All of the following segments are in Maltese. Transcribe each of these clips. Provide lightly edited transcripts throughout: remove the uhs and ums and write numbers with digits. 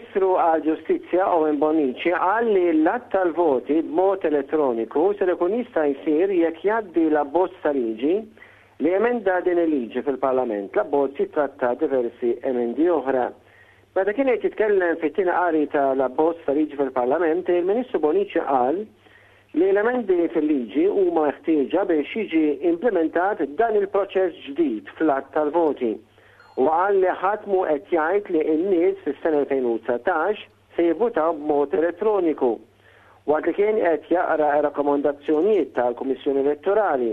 Il-Ministru għall-Ġustizzja Owen Bonnici qal li l-għadd tal-voti b'mod elettroniku ser ikun jista' jsir jekk jgħaddi l-abbozz ta' liġi li jemenda din il-liġi fil-Parlament. L-abbozz jittratta diversi emendi oħra. Meta kien qed jitkellem fit-tieni qari ta' l-abbozz ta' liġi fil-Parlament, il-Ministru Bonnici qal li l-emendi fil-liġi huma meħtieġa biex jiġi implimentat dan il-proċess ġdid fl-għadd tal-voti. Huwa qal li ħadd mhu qed jgħid li n-nies fis-sena 2019 se jivvutaw b'mod elettroniku. Waqt li kien qed jaqra r-rakkomandazzjonijiet tal-Kummissjoni Elettorali,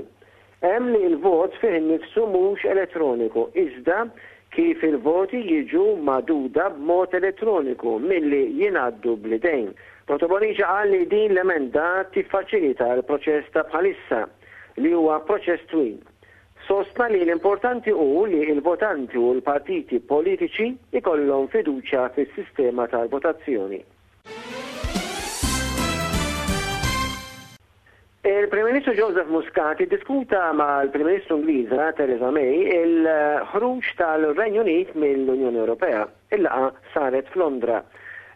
Hemm li l-vot fih innifsu mhux elettroniku, iżda kif il-voti jiġu magħduda b'mod elettroniku milli jingħaddu bl-idejn. Dottor Bonnici qal li din l-emenda tiffaċilita l-proċess ta' bħalissa, li huwa proċess twil. Sostna li l-importanti hu li l-votanti u l-partiti politiċi jkollhom fiduċja fis-sistema tal-votazzjoni. Il-Prim Ministru Joseph Muscat iddiskuta mal-Prim Ministru Ingliża Theresa May il-ħruġ tal-Renju Unit mill-Unjoni Ewropea. Il-laqgħa saret f'Londra.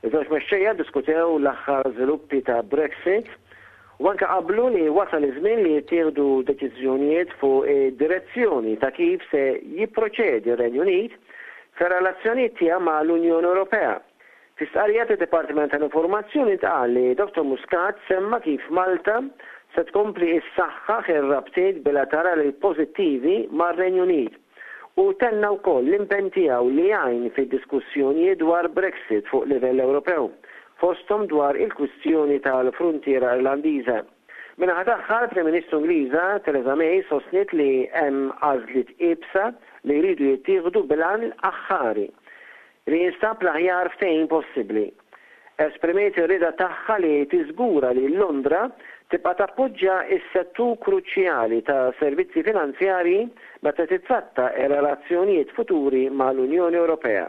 Iż-żewġ mexxejja ddiskutew l-aħħar żviluppi ta' Brexit u anke qablu li wasal iż-żmien li jittieħdu deċiżjonijiet fuq id-direzzjoni ta' kif se jipproċedi r-Renju Unit fir-relazzjonijiet tiegħu mal-Unjoni Ewropea. Fi stqarrija tad-Dipartiment tal-Informazzjoni ntqal li Dottor Muscat semma kif Malta se tkompli ssaħħaħ ir-rabtiet bilaterali pożittivi mar-Renju Unit u tenna wkoll l-impenn tiegħu li jgħin fid-diskussjonijiet dwar Brexit fuq livell Ewropew, fosthom dwar il-kwistjoni tal-fruntiera Irlandiża. Min-naħa tagħha, l-Prim Ministru Ingliża Theresa May sostniet li hemm għażliet iebsa li jridu jittieħdu bil-għan aħħari li jinstab l-aħjar ftehim possibbli. Esprimiet ir-rieda tagħha li tiżgura li Londra tibqa' tappoġġja s-settur kruċjali ta' servizzi finanzjarji meta tittratta r-relazzjonijiet futuri mal-Unjoni Ewropea.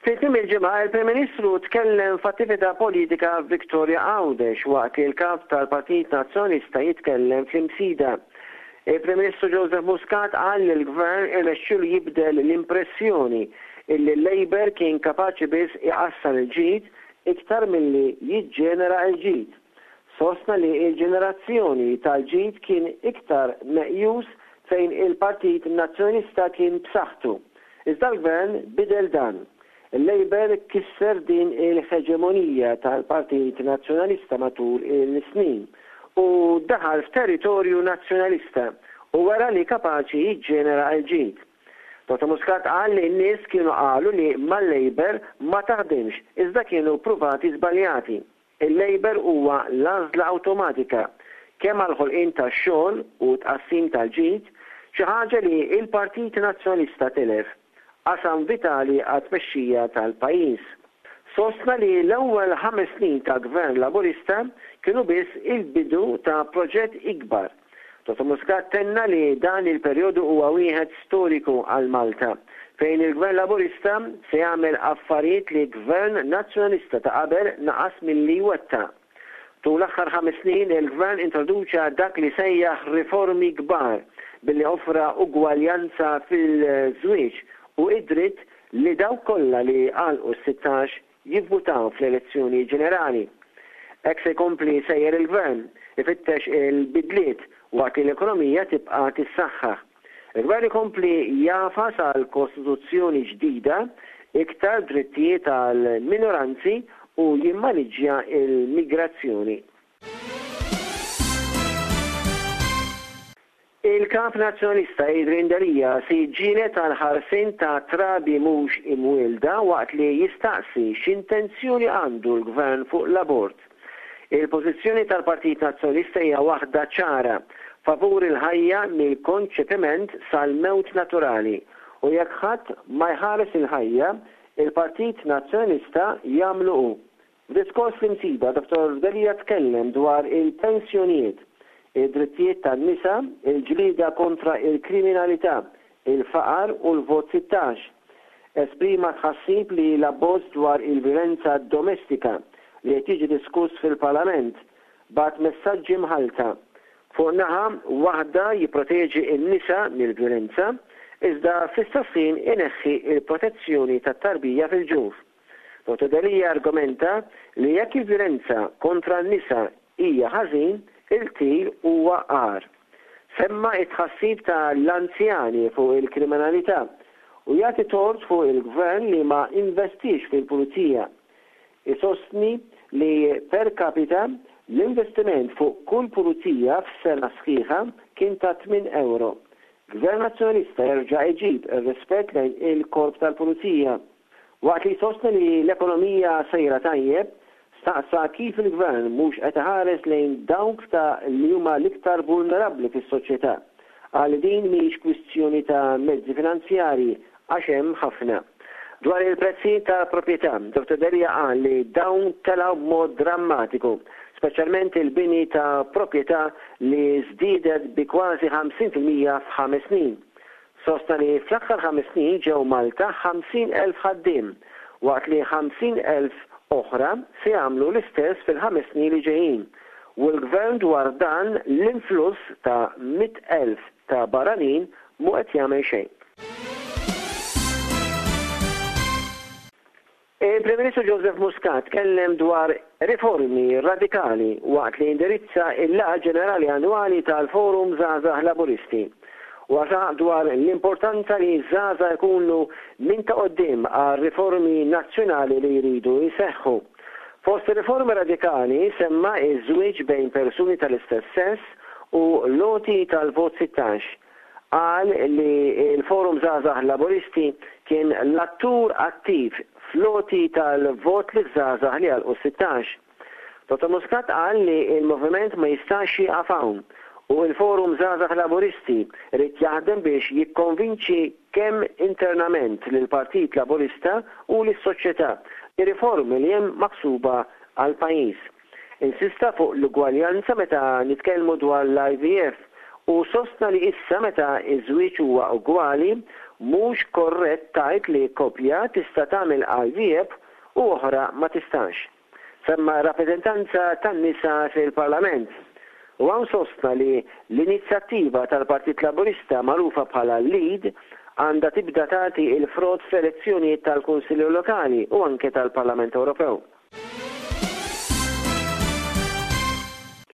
Fi tmiem il-ġimgħa, il-Prim Ministru tkellem f'attività politika f'Victoria Għawdex waqt li l-Kap tal-Partit Nazzjonalista jitkellem fl-Imsida. Il-Prim Ministru Joseph Muscat qal li l-Gvern irnexxielu jibdel l-impressjoni illi l-Labour kien kapaċi biss iqassam il-ġid iktar milli jiġġenera l-ġid. Sostna li l-ġenerazzjoni tal-ġid kien iktar meqjus fejn il-Partit Nazzjonalista kien b'saħħtu. Iżda l-Gvern bidel dan. Il-Labour kisser din il-ħeġemonija tal-Partit Nazzjonalista matul il-snin u daħal f'territorju Nazzjonalista u wera li kapaċi jiġġenera l-ġid. Dottor Muscat qal li n-nies kienu qalu li mal-Labour ma taħdimx iżda kienu pruvati żbaljati. Il-Labour huwa l-għażla awtomatika kemm għall-ħolqien tax-xogħol u t-tqassim tal-ġid, xi ħaġa li l-Partit Nazzjonalista tilef, qasam vitali għat-tmexxija tal-pajjiż. Sostna li l-ewwel ħames snin ta' Gvern Laburista kienu biss il-bidu ta' proġett ikbar. Dottor Muscat tenna li dan il-perjodu huwa wieħed storiku għal Malta, fejn il-Gvern Laburista se jagħmel affarijiet li Gvern Nazzjonalista ta' qabel naqas milli jwettaq. Tul l-aħħar ħames snin il-Gvern introduċa dak li sejjaħ riformi kbar billi offra ugwaljanza fil-żwieġ u id-dritt li dawk kollha li għalqu s-sittax jivvutaw fl-elezzjoni ġenerali. Hekk se jkompli sejjer il-Gvern, ifittex il-bidliet waqt li l-ekonomija tibqa' tissaħħaħ. Il-Gvern ikompli jagħfas għal Kostituzzjoni ġdida, iktar drittijiet għal minoranzi u jimmaniġġja l-migrazzjoni. Il-Kap Nazzjonalista Adrian Delia se jiġġieled għall-ħarsien ta' trabi mhux imwielda waqt li jistaqsi x'intenzjoni għandu l-Gvern fuq l-abort. Il-pożizzjoni tal-Partit Nazzjonalista hija waħda ċara, favur il-ħajja mill-konċepiment sal-mewt naturali u jekk ħadd ma jħares il-ħajja, il-Partit Nazzjonalista jagħmlu hu. F'diskors fl-Imsida, Dottor Delia tkellem dwar il-pensjonijiet, id-drittijiet tan-nisa, il-ġlieda kontra l-kriminalità, il-faqar u l-vot 16. Esprima tħassib li l-abbozz dwar il-vjolenza domestika li qed jiġi diskuss fil-Parlament bagħat messaġġi mħallta. Fuq naħa waħda jipproteġi n-nisa mill-vjolenza, iżda fl-istess ħin ineħħi l-protezzjoni tat-tarbija fil-ġuf. Dottor Delia argumenta li jekk il-vjolenza kontra n-nisa hija ħażin, il-qtil huwa agħar. Semma t-tħassib ta' l-anzjani fuq il-kriminalità u jagħti tort fuq il-Gvern li ma investiex fil-Pulizija. Isostni li per capita l-investiment fuq kull pulizija f'sena sħiħa kien ta' tminn ewro. Gvern Nazzjonalista jerġa' iġib ir-rispett lejn il-Korp tal-Pulizija. Waqt li jsostni li l-ekonomija sejra tajjeb, staqsa kif il-Gvern mhux qed iħares lejn dawk ta' li huma l-iktar vulnerabbli fis-soċjetà. Qal li din mhix kwistjoni ta' mezzi finanzjarji għax hemm ħafna. Dwar il-prezzijiet tal-proprjetà, Dottor Delia qal li dawn telgħu b'mod drammatiku, speċjalment il-bini ta' proprjetà li żdiedet bi kważi 50% f'ħames snin. Sostna li fl-aħħar ħames snin ġew Malta 50,000 ħaddiem, waqt li 50,000 oħra se jagħmlu l-istess fil-ħames snin li ġejjin, u l-Gvern dwar dan l-influss ta' 100,000 ta' barranin mhu qed jagħmel xejn. Il-Prim Ministru Joseph Muscat tkellem dwar riformi radikali waqt li indirizza l-Laqgħa Ġenerali Annwali tal-Forum Żgħażagħ Laburisti. Huwa saħaq dwar l-importanza li ż-żgħażagħ ikunu minn ta' quddiem għar-riformi nazzjonali li jridu jseħħu. Fost ir-riformi radikali semma ż-żwieġ bejn persuni tal-istess sess u l-għoti tal-vot 16. Qal li l-Forum Żgħażagħ Laburisti kien l-attur attiv fl-għoti tal-vot liż-żgħażagħ li għalqu s-sittax. Dottor Muscat qal li l-moviment ma jistax jieqaf hawn u l-Forum Żgħażagħ Laburisti jrid jaħdem biex jikkonvinċi kemm internament lill-Partit Laburista u lis-soċjetà li riformi li hemm maħsuba għall-pajjiż. Insista fuq l-ugwaljanza meta nitkellmu dwar l-IVF u sostna li issa meta ż-żwieġ huwa ugwali, mhux korrett tgħid li koppja tista' tagħmel IVF u oħra ma tistax. Semma r-rappreżentanza tan-nisa fil-Parlament u hawn sostna li l-inizjattiva tal-Partit Laburista magħrufa bħala LEAD għandha tibda tagħti l-frott fl-elezzjonijiet tal-Kunsilli Lokali u anke tal-Parlament Ewropew.